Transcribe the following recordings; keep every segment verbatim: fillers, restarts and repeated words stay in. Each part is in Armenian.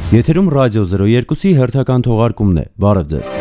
Եթերում ռադիո զրո երկուսի հերթական թողարկումն է, բարև ձեզ։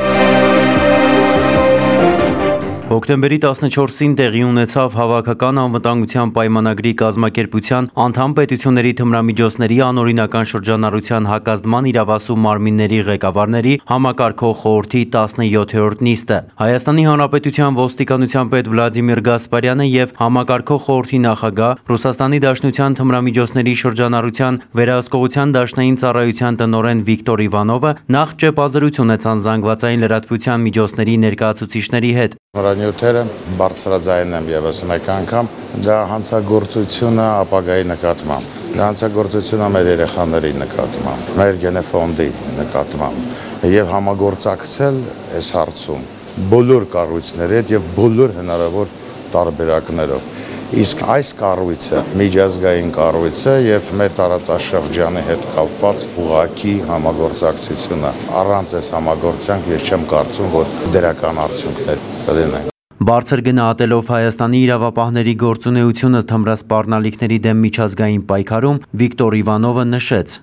Հոկտեմբերի տասնչորսին տեղի ունեցավ Հավաքական անվտանգության պայմանագրի կազմակերպության անդամ պետությունների թմրամիջոցների անօրինական շրջանառության հակազդման իրավասու մարմինների ղեկավարների համակարգող խորհրդի տասնյոթերորդ նիստը։ Հայաստանի Հանրապետության ոստիկանության պետ Վլադիմիր Գասպարյանը եւ համակարգող խորհրդի նախագահ, Ռուսաստանի Դաշնության թմրամիջոցների շրջանառության վերահսկողության դաշնային ծառայության տնօրեն Վիկտոր Իվանովը նախ ճեպազրույց ունեցան զանգվածային լրատվության միջոցների ներկայացուցիչների հետ։ Նյութերը բարձրաձայն եմ եւս մեկ անգամ, դա հանցագործությունը ապագայի նկատմամբ, դա հանցագործությունը մեր երեխաների նկատմամբ, մեր գենեֆոնդի նկատմամբ եւ համագործակցել այս հարցում բոլոր կառույցների հետ եւ բոլոր հնարավոր տարբերակներով։ Իսկ այս կառույցը միջազգային կառույց է եւ մեր տարածաշրջանի հետ կապված ուղղակի համագործակցությունը առանց այս համագործակցության ես չեմ կարծում, որ դրական արդյունքներ կլինեն։ Բարձր գնահատելով Հայաստանի իրավապահների գործունեությունը թմրասպառնալիքների դեմ միջազգային պայքարում, Վիկտոր Իվանովը նշեց.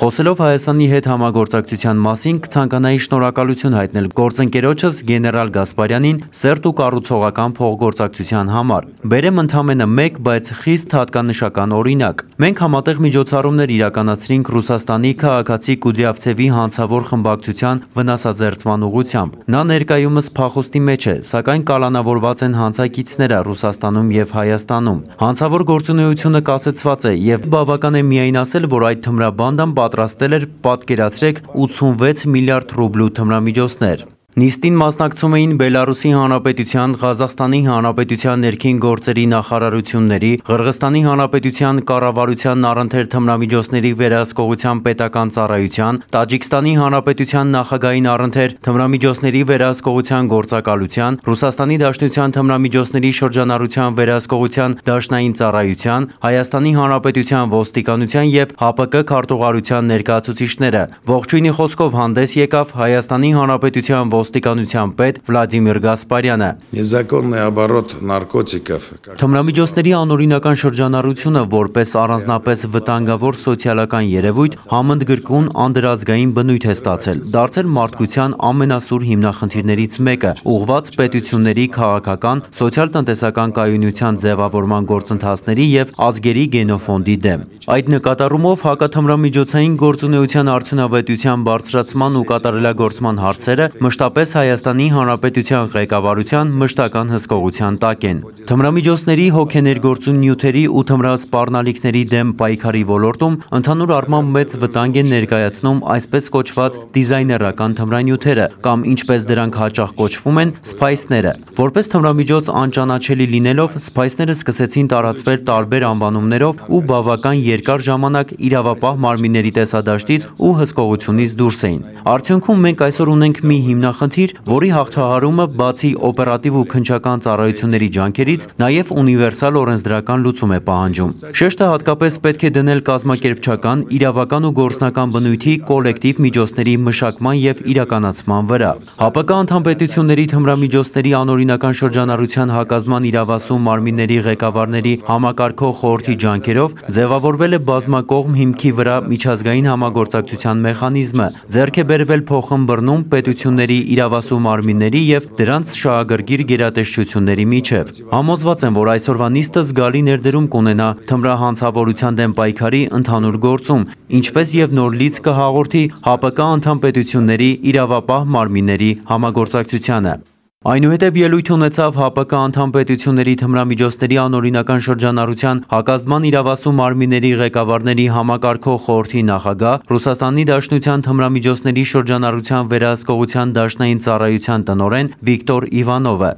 Խոսելով Հայաստանի հետ համագործակցության մասին, կցանկանայի շնորհակալություն հայտնել գործընկերոջս գեներալ Գասպարյանին սերտ ու կառուցողական փոխգործակցության համար։ Բերեմ ընդամենը մեկ, բայց խիստ հատկանշական օրինակ։ Մենք համատեղ միջոցառումներ իրականացրինք Ռուսաստանի քաղաքացի Կուդրյավցևի հանցավոր խմբակցության վնասազերծման ուղղությամբ։ Նա ներկայումս փախուստի մեջ է, սակայն կալանավորված են հանցակիցները Ռուսաստանում եւ Հայաստանում։ Հանցավոր գործունեությունը կասեցված է եւ բավական է միայն ասել, որ այդ թմրաբանդան պատրաստել էր, պատկերացրեք, ութսունվեց միլիարդ ռուբլու թմրամիջոցներ։ Նիստին մասնակցում էին Բելարուսի Հանրապետության, Ղազախստանի Հանրապետության ներքին գործերի նախարարությունների, Ղրղստանի Հանրապետության կառավարության առընթեր թմրամիջոցների վերահսկողության պետական ծառայության, Տաջիկստանի Հանրապետության նախագահային առընթեր թմրամիջոցների վերահսկողության գործակալության, Ռուսաստանի Դաշնության թմրամիջոցների շրջանառության վերահսկողության դաշնային ծառայության, Հայաստանի Հանրապետության ոստիկանության եւ ՀԱՊԿ քարտուղարության ներկայացուցիչները։ Ողջույնի խոսքով հանդես եկավ Հայաստանի Հանրապետության ոստիկանության պետ Վլադիմիր Գասպարյանը։ Թմրամիջոցների անօրինական շրջանառությունը որպես առանձնապես վտանգավոր սոցիալական երևույթ համընդգրկուն անդրազգային բնույթ է ստացել, դարձել մարդկության ամենասուր հիմնախնդիրներից մեկը, ուղղված պետությունների քաղաքական, սոցիալ-տնտեսական կայունության ձևավորման գործընթացների եւ ազգերի գենոֆոնդի դեմ։ Այդ նկատառումով հակաթմրամիջոցային գործունեության արդյունավետության բարձրացման ու կատարելագործման հարցերը մշտապես Հայաստանի Հանրապետության ղեկավարության մշտական հսկողության տակ են։ Թմրամիջոցների հոգեներգործուն նյութերի ու թմրասպառնալիքների դեմ պայքարի ոլորտում ընդհանուր առմամբ մեծ վտանգ են ներկայացնում այսպես կոչված դիզայներական թմրանյութերը կամ ինչպես դրանք հաճախ կոչվում են սփայսները։ Որպես թմրամիջոց անճանաչելի լինելով, սփայսները սկսեցին տարածվել տարբեր անվանումներով ու բավական երկար ժամանակ իրավապահ մարմինների տեսադաշտից ու հսկողությունից դուրս էին։ Արդյունքում մենք այսօր ունենք մի հիմնախնդիր, որի հաղթահարումը բացի օպերատիվ ու քննչական ծառայությունների ջանքերից, նաև ունիվերսալ օրենսդրական լուծում է պահանջում։ Շեշտը հատկապես պետք է դնել կազմակերպչական, իրավական ու գործնական բնույթի կոլեկտիվ միջոցների մշակման եւ իրականացման վրա։ ՀԱՊԿ անդամ պետությունների թմրամիջոցների անօրինական շրջանառության հակազդման իրավասու մարմինների ղեկավարների համակարգող խորհրդի ջանքերով ձևավորվել է բազմակողմ հիմքի վրա միջազգային համագործակցության մեխանիզմը, ձեռք է բերվել փոխըմբռնում պետությունների իրավասու մարմինների եւ դրանց շահագրգիռ գերատեսչությունների միջև։ Համոզված եմ, որ այսօրվա նիստը զգալի ներդրում կունենա թմրահանցավորության դեմ պայքարի ընդհանուր գործում, ինչպես եւ նոր լիցք կհաղորդի ՀԱՊԿ անդամ պետությունների իրավապահ մարմինների համագործակցությանը։ Այնուհետև ելույթ ունեցավ ՀԱՊԿ անդամ պետությունների թմրամիջոցների անօրինական շրջանառության հակազդման իրավասու մարմինների ղեկավարների համակարգող խորհրդի նախագահ, Ռուսաստանի Դաշնության թմրամիջոցների շրջանառության վերահսկողության դաշնային ծառայության տնօրեն Վիկտոր Իվանովը։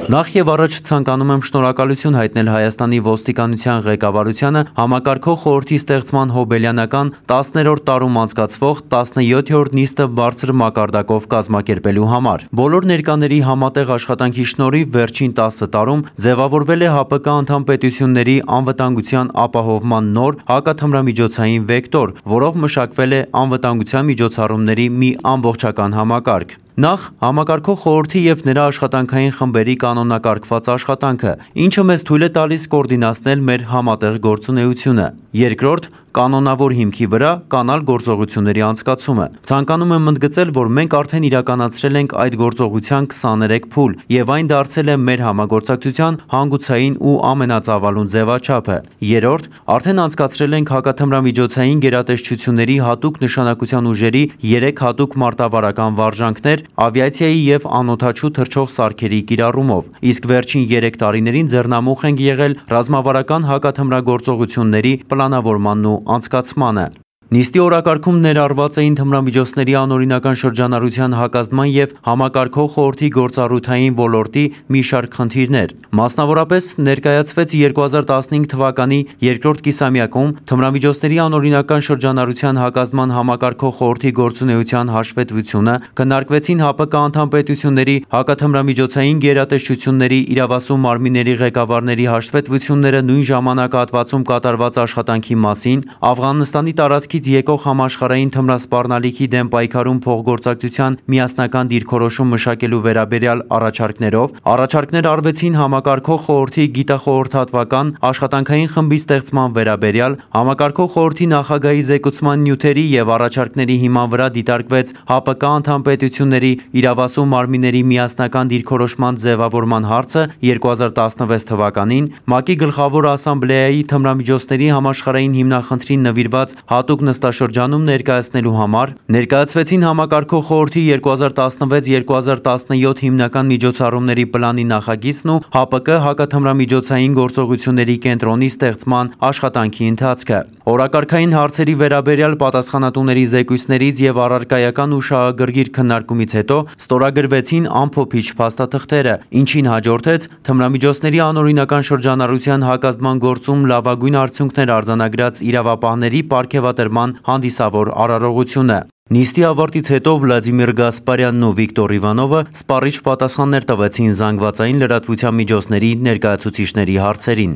Նախ եւ առաջ ցանկանում եմ շնորհակալություն հայտնել Հայաստանի ոստիկանության ղեկավարությանը համակարգող խորհրդի ստեղծման հոբելյանական տասներորդ տարում անցկացվող տասնյոթերորդ նիստը բարձր մակարդակով կազմակերպելու համար։ Բոլոր ներկաների համատեղ աշխատանքի շնորհիվ վերջին տասը տարում ձևավորվել է ՀԱՊԿ անդամ պետությունների անվտանգության ապահովման նոր հակաթմրամիջոցային վեկտոր, որով մշակվել է անվտանգության միջոցառումների մի ամբողջական համակարգ։ Նախ համակարգող խորհրդի եւ նրա աշխատանքային խմբերի կանոնակարգված աշխատանքը, ինչը մեզ թույլ է տալիս կոորդինացնել մեր համատեղ գործունեությունը։ Երկրորդ, կանոնավոր հիմքի վրա կանալ գործողությունների անցկացումը։ Ցանկանում եմ ընդգծել, որ մենք արդեն իրականացրել ենք այդ գործողության քսաներեք փուլ, եւ այն դարձել է մեր համագործակցության հանգուցային ու ամենածավալուն ձևաչափը։ Երրորդ, արդեն անցկացրել ենք հակաթմրամիջոցային գերատեսչությունների հատուկ նշանակության ուժերի երեք հատուկ մարտավարական վարժանքներ ավիացիայի եւ անօդաչու թռչող սարքերի կիրառումով, իսկ վերջին երեք տարիներին ձեռնամուխ ենք եղել ռազմավարական հակաթմրագործողությունների պլանավորմանն ու անցկացմանը։ Նիստի օրակարգում ներառված էին թմրամիջոցների անօրինական շրջանառության հակազդման եւ համակարգող խորհրդի գործառութային ոլորտի մի շարք խնդիրներ։ Մասնավորապես ներկայացվեց երկու հազար տասնհինգ թվականի երկրորդ կիսամյակում թմրամիջոցների անօրինական շրջանառության հակազդման համակարգող խորհրդի գործունեության հաշվետվությունը, քննարկվեցին ՀԱՊԿ անդամ պետությունների հակաթմրամիջոցային գերատեսչությունների իրավասու մարմինների ղեկավարների հաշվետվությունները նույն ժամանակահատվածում կատարված աշխատանքի մասին, Աֆղանստանի տարածքի եկող համաշխարհային թմրասպառնալիքի դեմ պայքարում փոխգործակցության միասնական դիրքորոշում մշակելու վերաբերյալ առաջարկներով, առաջարկներ արվեցին համակարգող խորհրդի գիտախորհրդատվական աշխատանքային խմբի ստեղծման վերաբերյալ, համակարգող խորհրդի նախագահի զեկուցման նյութերի եւ առաջարկների հիման վրա դիտարկվեց ՀԱՊԿ անդամ պետությունների իրավասու մարմինների միասնական դիրքորոշման ձևավորման հարցը երկու հազար տասնվեց թվականին, ՄԱԿ-ի գլխավոր ասամբլեայի թմրամիջոցների համաշխարհային հիմնախնդրին նվիրված հատուկ նստաշրջանում ներկայացնելու համար, ներկայացվեցին համակարգող խորհրդի երկու հազար տասնվեց երկու հազար տասնյոթ հիմնական միջոցառումների պլանի նախագիծն ու ՀԱՊԿ հակաթմրամիջոցային գործողությունների կենտրոնի ստեղծման աշխատանքի ընթացքը։ Օրակարգային հարցերի վերաբերյալ պատասխանատուների զեկույցներից եւ առարկայական ու շահագրգիռ քննարկումից հետո ստորագրվեցին ամփոփիչ փաստաթղթերը, ինչին հաջորդեց թմրամիջոցների անօրինական շրջանառության հակազդման գործում լավագույն արդյունքներ արձանագրած իրավապահների պարգևատրման հանդիսավոր արարողությունը։ Նիստի ավարտից հետո Վլադիմիր Գասպարյանն ու Վիկտոր Իվանովը սպառիչ պատասխաններ տվեցին զանգվածային լրատվության միջոցների ներկայացուցիչների հարցերին։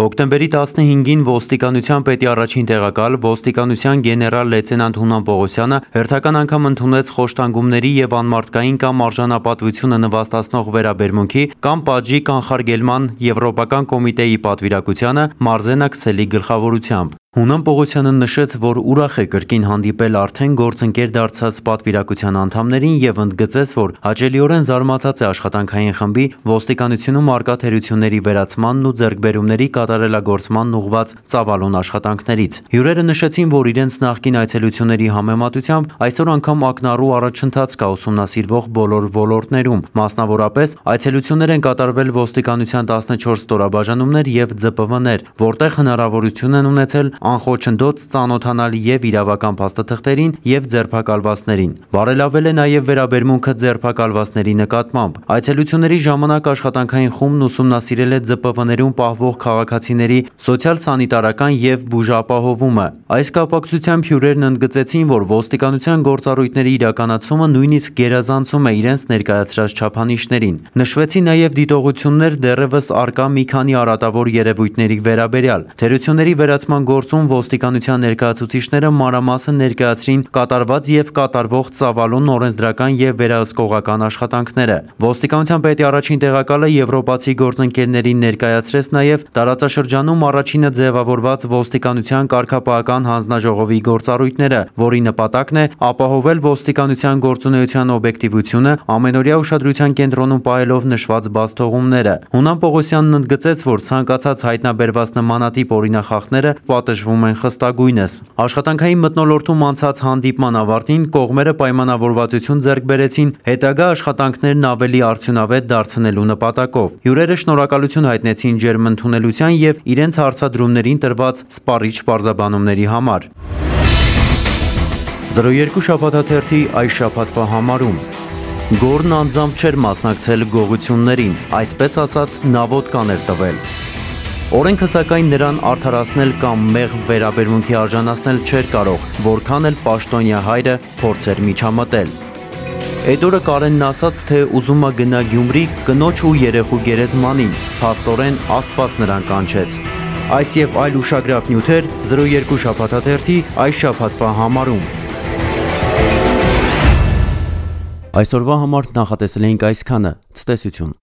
Հոկտեմբերի տասնհինգին ոստիկանության պետի առաջին տեղակալ ոստիկանության գեներալ լեյտենանտ Հունան Պողոսյանը հերթական անգամ ընդունեց խոշտանգումների եւ անմարդկային կամ արժանապատվությունը նվաստացնող վերաբերմունքի կամ պատժի կանխարգելման Եվրոպական կոմիտեի պատվիրակությանը Մարզենա Քսելի գլխավորությամբ։ Հունան Պողոսյանը նշեց, որ ուրախ է կրկին հանդիպել արդեն գործընկեր դարձած պատվիրակության անդամներին եւ ընդգծեց, որ հաճելիորեն զարմացած է աշխատանքային խմբի ոստիկանությունում արկա թերությունների վերացմանն ու ձեռքբերումների կատարելագործմանն ուղղված ծավալուն աշխատանքներից։ Հյուրերը նշեցին, որ իրենց նախկին այցելությունների համեմատությամբ այսօր անգամ ակնառու առաջընթաց կա ուսումնասիրվող բոլոր ոլորտներում, մասնավորապես այցելություններ են կատարվել ոստիկանության տասնչորս ստորաբաժանումներ եւ ձ պ վներ, որտեղ հնարավորություն են ունեցել անխոչնդոտ ծանոթանալ եւ իրավական փաստաթղթերին եւ ձերբակալվածներին։ Բարելավել է նաեւ վերաբերմունքը ձերբակալվածների նկատմամբ։ Այցելությունների ժամանակ աշխատանքային խումբն ուսումնասիրել է ձ պ վներում պահվող քաղաքացիների սոցիալ-սանիտարական եւ բուժապահովումը։ Այս կապակցությամբ հյուրերն ընդգծեցին, որ ոստիկանության գործառույթների իրականացումը նույնիսկ գերազանցում է իրենց ներկայացրած չափանիշներին։ Նշվեցին նաեւ դիտողություններ դեռևս արկա մի քանի արատավոր երևույթների վերաբերյալ։ Թերությունների վերացման գործում ոստիկանության ներկայացուցիչները մանրամասն ներկայացրին կատարված եւ կատարվող ծավալուն օրենսդրական եւ վերահսկողական աշխատանքները։ Ոստիկանության պետի առաջին տեղակալը եվրոպացի գործընկերներին ներկայացրեց նաեւ տարածաշրջանում առաջինը ձևավորված ոստիկանության կարգապահական հանձնաժողովի գործառույթները, որի նպատակն է ապահովել ոստիկանության գործունեության օբյեկտիվությունը, ամենօրյա ուշադրության կենտրոնում պահելով նշված բացթողումները։ Հունան Պողոսյանն ընդգծեց, որ ցանկացած հայտնաբերված նմանատիպ օրինախախտները պատժվում են խստագույնս։ Աշխատանքային մթնոլորտում անցած հանդիպման ավարտին կողմերը պայմանավորվածություն ձեռք բերեցին հետագա աշխատանքներն ավելի արդյունավետ դարձնելու նպատակով։ Հյուրերը շնորհակալություն հայտնեցին ջերմ ընդունելության եւ իրենց հարցադրումներին տրված սպառիչ պարզաբանումների համար։ զրո երկու շաբաթաթերթի այս շաբաթվա համարում Գոռն անձամբ չէր մասնակցել գողություններին, այսպես ասած նավոդկան էր տվել։ Օրենքը սակայն նրան արդարացնել կամ մեղմ վերաբերմունքի արժանացնել չէր կարող, որքան էլ պաշտոնյա հայրը փորձեր միջամտել։ Էդորը Կարենն ասաց, թե ուզում է գնա Գյումրի կնոջ ու երեխու գերեզմանին, փաստորեն Աստված նրան կանչեց։ Այս եւ այլ ուշագրավ նյութեր զրո երկու շաբաթաթերթի այս շաբաթվա համարում։ Այսօրվա համար նախատեսել էինք այսքանը, ցտեսություն։